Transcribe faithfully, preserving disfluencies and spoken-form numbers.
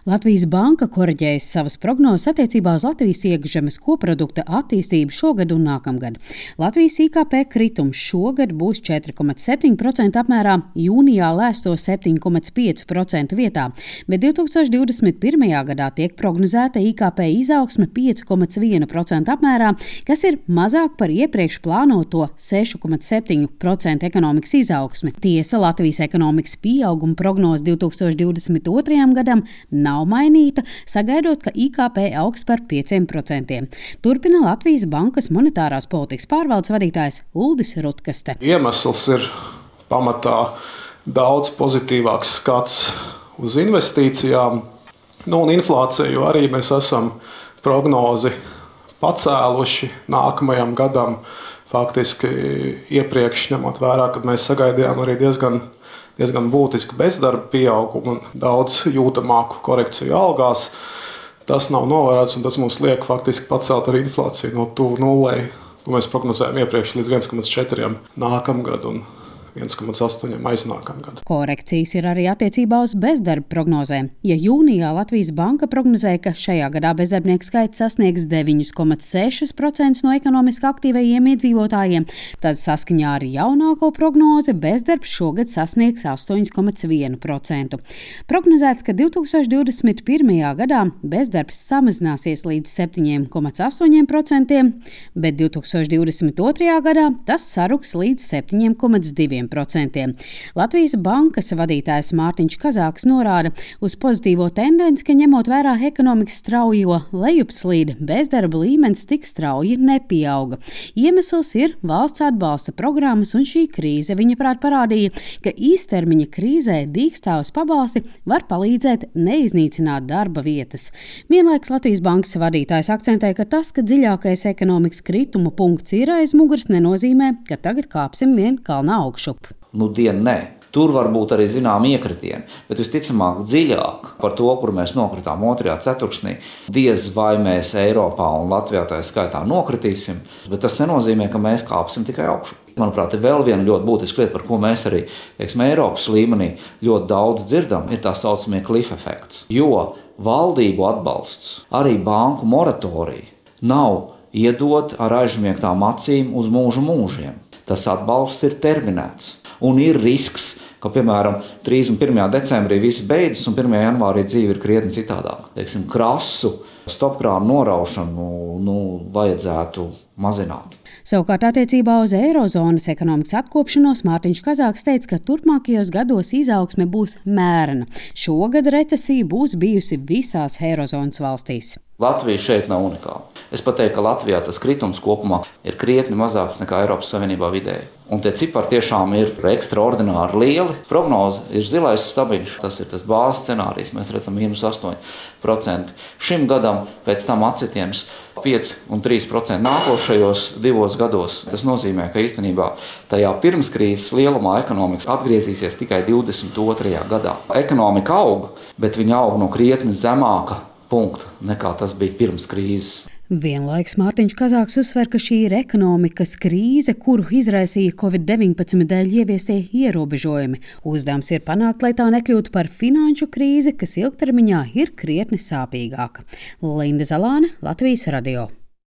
Latvijas banka koriģējas savas prognozes attiecībā uz Latvijas iekšzemes koprodukta attīstību šogad un nākamgad. Latvijas I K P kritums šogad būs četri komats septiņi procenti apmērā, jūnijā lēsto septiņi komats pieci procenti vietā, bet divi tūkstoši divdesmit pirmajā gadā tiek prognozēta I K P izaugsme pieci komats viens procents apmērā, kas ir mazāk par iepriekš plānoto seši komats septiņi procenti ekonomikas izaugsmi. Tiesa, Latvijas ekonomikas pieauguma prognoze divi tūkstoši divdesmit otrajam gadam nav mainīta, sagaidot, ka I K P augs par pieciem procentiem. Turpina Latvijas bankas monetārās politikas pārvaldes vadītājs Uldis Rutkaste. Iemesls ir pamatā daudz pozitīvāks skats uz investīcijām, nu un inflāciju arī mēs esam prognozi pacēluši nākamajam gadam. Faktiski iepriekš ņemot vērā, kad mēs sagaidījām arī diezgan diezgan būtisku bezdarba pieaugumu un daudz jūtamāku korekciju algās. Tas nav novērots, un tas mums liek faktiski pacelt arī inflāciju no tuvu nulei, ko mēs prognozējām iepriekš līdz viens komats četri nākamgad un viens komats astoņi aiznākamgad. Korekcijas ir arī attiecībā uz bezdarba prognozēm. Ja jūnijā Latvijas banka prognozēja, ka šajā gadā bezdarbnieku skaits sasniegs deviņi komats seši procenti no ekonomiski aktīvajiem iedzīvotājiem, tad saskaņā ar jaunāko prognozi bezdarbs šogad sasniegs astoņi komats viens procents. Prognozēts, ka divi tūkstoši divdesmit pirmajā gadā bezdarbs samazināsies līdz septiņi komats astoņi procenti, bet divi tūkstoši divdesmit otrajā gadā tas saruks līdz septiņi komats divi procenti. Latvijas bankas vadītājs Mārtiņš Kazāks norāda uz pozitīvo tendenci, ka ņemot vērā ekonomikas straujo lejupslīdi, bezdarba līmenis tik strauji nepieauga. Iemesls ir valsts atbalsta programmas, un šī krīze, viņa prāt, parādīja, ka īstermiņa krīzē dīkstāvus pabalsti var palīdzēt neiznīcināt darba vietas. Vienlaiks Latvijas bankas vadītājs akcentē, ka tas, ka dziļākais ekonomikas krituma punkts ir aiz muguras, nenozīmē, ka tagad kāpsim vien kalnā augšu. Nu, dien nē. Tur var būt arī zinām iekritieni, bet visticamāk dziļāk par to, kur mēs nokritām otrajā ceturksnī, diez vai mēs Eiropā un Latvijā tā skaitā nokritīsim, bet tas nenozīmē, ka mēs kāpsim tikai augšu. Manuprāt, ir vēl viena ļoti būtiska lieta, par ko mēs arī, teiksim, Eiropas līmenī ļoti daudz dzirdam, ir tā saucamie cliff efekts. Jo valdību atbalsts, arī banku moratorija nav iedot ar aizmiegtām acīm uz mūžu mūžiem. Tas atbalsts ir terminēts. Un ir risks, ka, piemēram, trīsdesmit pirmajā decembrī viss beidzas un pirmajā janvārī dzīve ir krietni citādāk. Teiksim, krasu stopkrānu noraušanu nu, vajadzētu mazināt. Savukārt attiecībā uz eirozonas ekonomikas atkopšanos Mārtiņš Kazāks teica, ka turpmākajos gados izaugsme būs mērena. Šogad recesija būs bijusi visās eirozonas valstīs. Latvija šeit nav unikāla. Es pat teiktu, ka Latvijā tas kritums kopumā ir krietni mazāks nekā Eiropas Savienībā vidēji. Un tie cipari tiešām ir ekstraordināri lieli. Prognoze ir zilais stabiņš, tas ir tas bāzes scenārijs, mēs redzam mīnus astoņi procenti. Šim gadam pēc tam atsitiens pieci un trīs procenti nākošajos divos gados. Tas nozīmē, ka īstenībā tajā pirmskrīzes lielumā ekonomikas atgriezīsies tikai divdesmit otrajā gadā. Ekonomika aug, bet viņa aug no krietni zemāka punkta, nekā tas bija pirms krīzes. Vienlaiks Mārtiņš Kazāks uzsver, ka šī ir ekonomikas krīze, kuru izraisīja covid deviņpadsmit dēļ ieviestie ierobežojumi. Uzdevums ir panākt, lai tā nekļūtu par finanšu krīzi, kas ilgtermiņā ir krietni sāpīgāka. Linda Zalāne, Latvijas radio.